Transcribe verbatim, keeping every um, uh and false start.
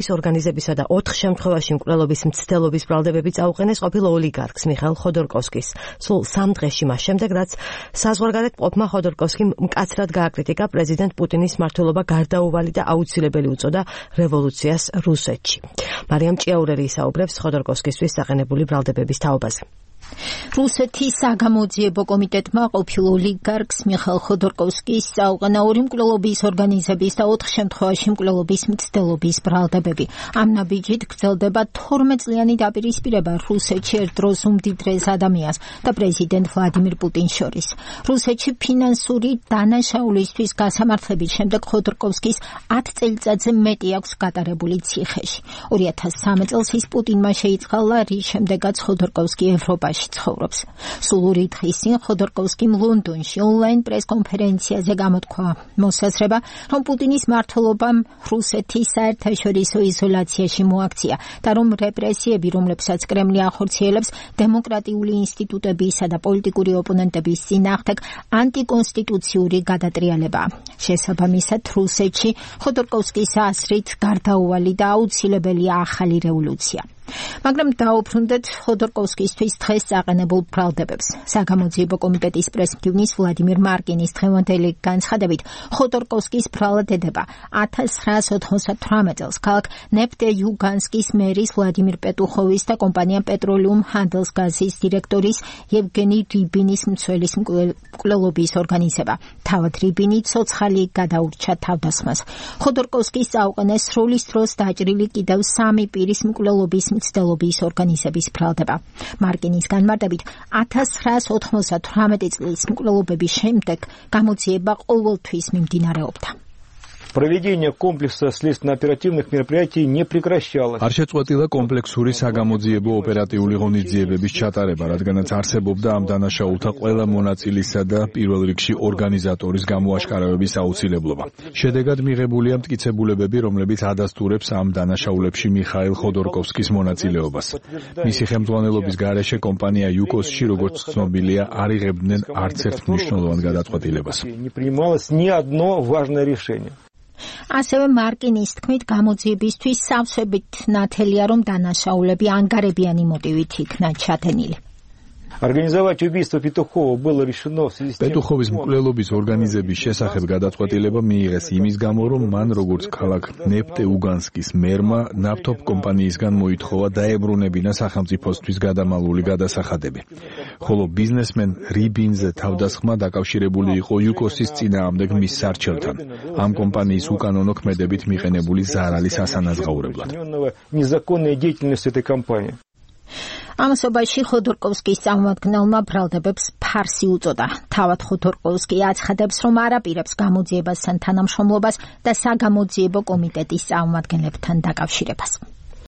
ხოდორკოვსკის ორგანიზებისა და ოთხ შემთხვევაში მკვლელობის მცდელობის ბრალდებები წაუყენეს ყოფილ ოლიგარქს მიხაილ ხოდორკოვსკის. სულ სამ დღეში მას შემდეგ, რაც საზღვარგარეთ მყოფმა ხოდორკოვსკიმ მკაცრად გააკრიტიკა პრეზიდენტ პუტინის მმართველობა გარდაუვალი და აუცილებელი უწოდა რევოლუციას რუსეთში. მარიამ ჭიაურელი ისაუბრებს ხოდორკოვსკისთვის დაყენებული ბრალდებების თაობაზე. რუსეთის საგამოძიებო კომიტეტმა ყოფილ ოლიგარქს მიხაილ ხოდორკოვსკის წაუყენა ორი მკვლელობის ორგანიზების და ოთხ შემთხვევაში მკვლელობის მცდელობის ბრალდებები. ამ ნაბიჯით გრძელდება თორმეტ წლიანი დაპირისპირება რუსეთში ერთ დროს უმდიდრეს ადამიანს და პრეზიდენტ ვლადიმირ პუტინს შორის. რუსეთში ფინანსური დანაშაულისთვის გასამართლების შემდეგ ხოდორკოვსკის ათ წელიწადზე მეტი აქვს გატარებული ციხეში. ორი ათას სამი წელს ის პუტინმა შეიწყალა, რის შემდეგაც ხოდორკოვსკი ევროპაში ცხოვრობს. სულ ორი დღის წინ ხოდორკოვსკიმ ლონდონში ონლაინ პრესკონფერენციაზე გამოთქვა მოსაზრება, რომ პუტინის მმართველობამ რუსეთის საერთაშორისო იზოლაციაში მოაქცია და რომ რეპრესიები, რომლებსაც კრემლი ახორციელებს დემოკრატიული ინსტიტუტებისა და პოლიტიკური ოპონენტების წინააღმდეგ, ანტიკონსტიტუციური გადატრიალებაა. შესაბამისად, რუსეთში ხოდორკოვსკის აზრით გარდაუვალი და აუცილებელია ახალი რევოლუცია. მაგრამ დაუბრუნდეთ ხოდორკოვსკისთვის დღეს წაყენებულ ბრალდებებს. საგამოძიებო კომიტეტის პრესმდივნის ვლადიმირ მარკინის დღევანდელი განცხადებით, ხოდორკოვსკის ბრალდება ათას ცხრაას ოთხმოცდათვრამეტ წელს ქალაქ ნეფტეიუგანსკის მერის ვლადიმირ პეტუხოვის და კომპანია პეტროლიუმ ჰანდელსგაზის დირექტორის ევგენი რიბინის მცველის მკვლელობის ორგანიზება. თავად რიბინი ცოცხალი გადაურჩა თავდასხმას. ხოდორკოვსკის წაუყენეს სროლის დროს დაჭრილი კიდევ სამი პირის მკვლელობის მცდელობის ორგანიზების ბრალდება. მარკინის განმარტებით, ათას ცხრაას ოთხმოცდათვრამეტი წლის მკვლელობების შემდეგ გამოძიება ყოველთვის მიმდინარეობდა. Проведение комплекса следственно-оперативных мероприятий не прекращалось. არ შეწყვეტილა კომპლექსური საგამოძიებო ოპერატიული ღონისძიებების ჩატარება, რადგანაც არსებობდა ამ დანაშაულთა ყველა მონაწილისა და პირველ რიგში ორგანიზატორის გამოაშკარავების აუცილებლობა. შედეგად მიღებულია მტკიცებულებები, რომლებიც ადასტურებს ამ დანაშაულებში მიხაილ ხოდორკოვსკის მონაწილეობას. მისი ხელმძღვანელობის გარეშე კომპანია იუკოსში, როგორც ცნობილია, არ იღებდნენ არც ერთ მნიშვნელოვან გადაწყვეტილებას. Не принималось ни одно важное решение. ასევე მარკინის თქმით, გამოძიებისთვის სავსებით ნათელია, რომ დანაშაულები ანგარებიანი მოტივით იქნა ჩათენილი. Организовать убийство Петухова было решено в связи с тем, პეტუხოვის მკვლელობის ორგანიზების შესახებ გადაწყვეტილება მიიღეს იმის გამო, რომ მან როგორც ქალაქ ნეფტეუგანსკის მერმა ნავთობ კომპანიისგან მოითხოვა დაებრუნებინა სახელმწიფოსთვის გადამალული გადასახადები. ხოლო ბიზნესმენ რიბინზე თავდასხმა დაკავშირებული იყო იუკოსის წინააღმდეგ მის სარჩელთან, ამ კომპანიის უკანონო ქმედებით მიყენებული ზარალის ასანაზღაურებლად. незаконная деятельность этой компании. ამასობაში ხოდორკოვსკის წარმომადგენელმა ბრალდებებს ფარსი უწოდა. თავად ხოდორკოვსკი აცხადებს, რომ არ აპირებს გამოძიებასთან თანამშრომლობას და საგამოძიებო კომიტეტის წარმომადგენლებთან დაკავშირებას.